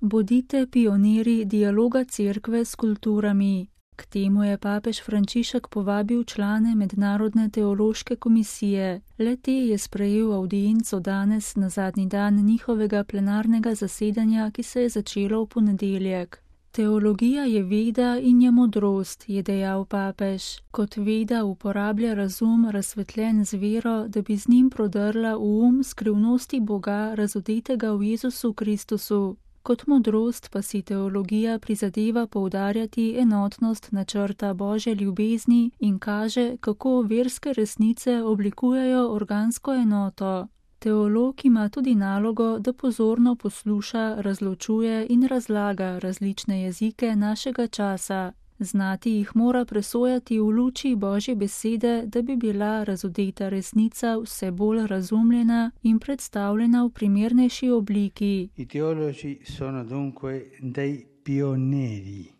Bodite pionirji dialoga cerkve s kulturami. K temu je papež Frančišek povabil člane Mednarodne teološke komisije. Le-te je sprejel avdienco danes na zadnji dan njihovega plenarnega zasedanja, ki se je začelo v ponedeljek. Teologija je veda in je modrost, je dejal papež. Kot veda uporablja razum razsvetljen z vero, da bi z njim prodrla v skrivnosti Boga razodetega v Jezusu Kristusu. Kot modrost pa si teologija prizadeva poudarjati enotnost načrta Božje ljubezni in kaže, kako verske resnice oblikujejo organsko enoto. Teolog ima tudi nalogo, da pozorno posluša, razločuje in razlaga različne jezike našega časa. Znati jih mora presojati v luči Božje besede, da bi bila razodeta resnica vse bolj razumljena in predstavljena v primernejši obliki. I teologi sono dunque dei pionieri.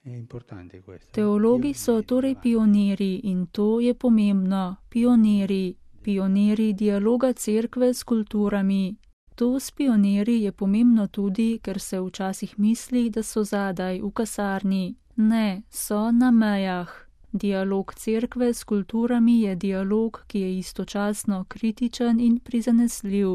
È importante questo. Teologi so torej pionirji in to je pomembno. Pionirji dialoga cerkve s kulturami. To s pionirji je pomembno tudi, ker se včasih misli, da so zadaj, v kasarni. Ne, so na mejah. Dialog cerkve s kulturami je dialog, ki je istočasno kritičen in prizanesljiv.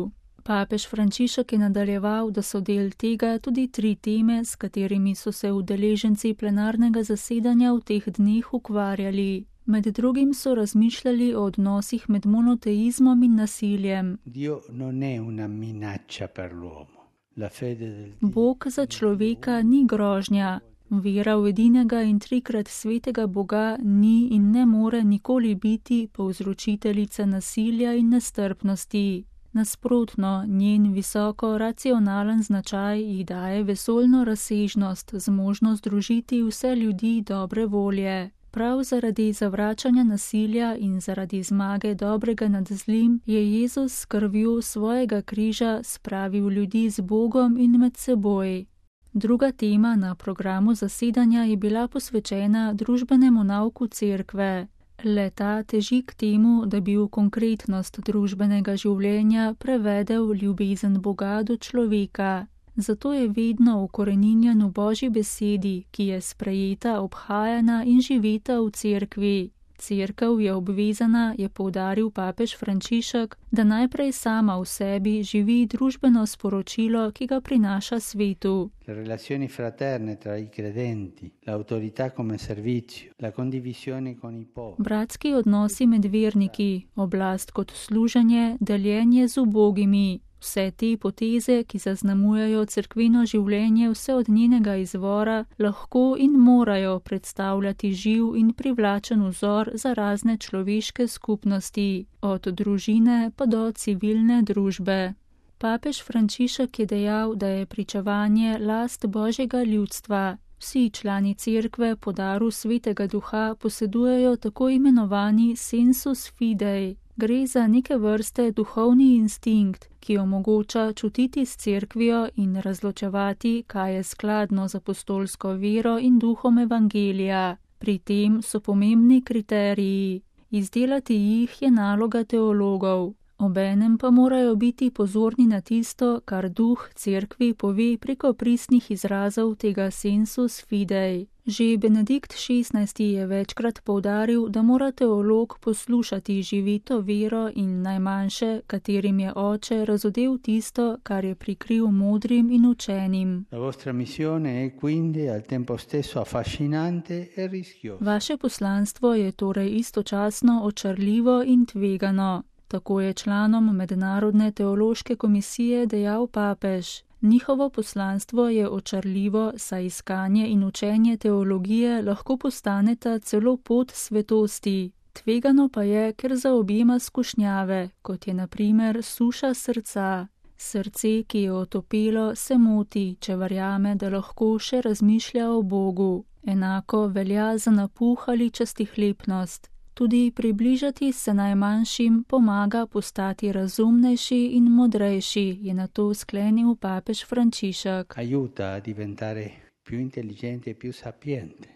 Papež Frančišek je nadaljeval, da so del tega tudi 3 teme, s katerimi so se udeleženci plenarnega zasedanja v teh dneh ukvarjali. Med drugim so razmišljali o odnosih med monoteizmom in nasiljem. Dio non è una minaccia per l'uomo. La fede del Dio. Bog za človeka ni grožnja. Vera v edinega in 3-krat svetega Boga ni in ne more nikoli biti povzročiteljica nasilja in nestrpnosti. Nasprotno, njen visoko racionalen značaj ji daje vesoljno razsežnost, zmožnost združiti vse ljudi dobre volje. Prav zaradi zavračanja nasilja in zaradi zmage dobrega nad zlim je Jezus s krvjo svojega križa spravil ljudi z Bogom in med seboj. Druga tema na programu zasedanja je bila posvečena družbenemu nauku cerkve. Le-ta teži k temu, da bi v konkretnost družbenega življenja prevedel ljubezen Boga do človeka. Zato je vedno ukoreninjen v Božji besedi, ki je sprejeta, obhajana in živeta v cerkvi. Cerkev je obvezana, je poudaril papež Frančišek, da najprej sama v sebi živi družbeno sporočilo, ki ga prinaša svetu. Le relazioni fraterne tra i credenti, l'autorità come servizio, la condivisione con i poveri. Bratski odnosi med verniki, oblast kot služenje, deljenje z ubogimi. Vse te poteze, ki zaznamujejo cerkveno življenje vse od njenega izvora, lahko in morajo predstavljati živ in privlačen vzor za razne človeške skupnosti, od družine pa do civilne družbe. Papež Frančišek je dejal, da je pričevanje last Božjega ljudstva. Vsi člani cerkve po daru Svetega Duha posedujejo tako imenovani sensus fidei. Gre za neke vrste duhovni instinkt, ki omogoča čutiti s cerkvijo in razločevati, kaj je skladno z apostolsko vero in duhom evangelija. Pri tem so pomembni kriteriji. Izdelati jih je naloga teologov. Obenem pa morajo biti pozorni na tisto, kar duh cerkvi pove preko pristnih izrazov tega sensus fidei. Že Benedikt XVI. Je večkrat poudaril, da mora teolog poslušati živito vero in najmanjše, katerim je oče razodel tisto, kar je prikril modrim in učenim. La vostra missione è quindi al tempo stesso affascinante e rischiosa. Vaše poslanstvo je torej istočasno očarljivo in tvegano. Tako je članom Mednarodne teološke komisije dejal papež. Njihovo poslanstvo je očarljivo, saj iskanje in učenje teologije lahko postaneta celo pot svetosti. Tvegano pa je, ker zaobjema skušnjave, kot je na primer suša srca. Srce, ki je otopelo, se moti, če verjame, da lahko še razmišlja o Bogu. Enako velja za napuh ali častihlepnost. Tudi približati se najmanjšim pomaga postati razumnejši in modrejši, je na to sklenil papež Frančišek. Aiuta a diventare più intelligente e più sapiente.